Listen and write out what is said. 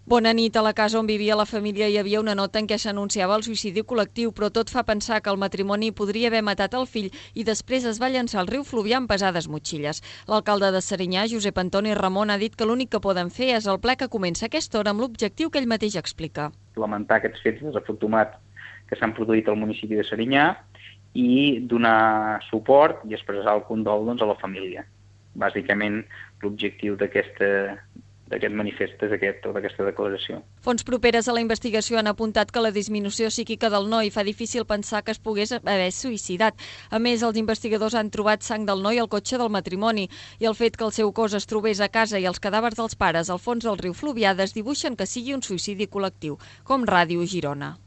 Bona nit. A la casa on vivia la família hi havia una nota en què s'anunciava el suïcidi col·lectiu, però tot fa pensar que el matrimoni podria haver matat el fill i després es va llançar al riu Fluvià amb pesades motxilles. L'alcalde de Serinyà, Josep Antoni Ramon, ha dit que l'únic que poden fer és el ple que comença a aquesta hora amb l'objectiu que ell mateix explica. Lamentar aquests fets desafortunats que s'han produït al municipi de Serinyà i donar suport i expressar el condol a la família. Bàsicament, l'objectiu d'aquest manifest és aquesta declaració. Fonts properes a la investigació han apuntat que la disminució psíquica del noi fa difícil pensar que es pogués haver suïcidat. A més, els investigadors han trobat sang del noi al cotxe del matrimoni i el fet que el seu cos es trobés a casa i els cadàvers dels pares al fons del riu Fluvià desdibuixen que sigui un suïcidi col·lectiu, com Ràdio Girona.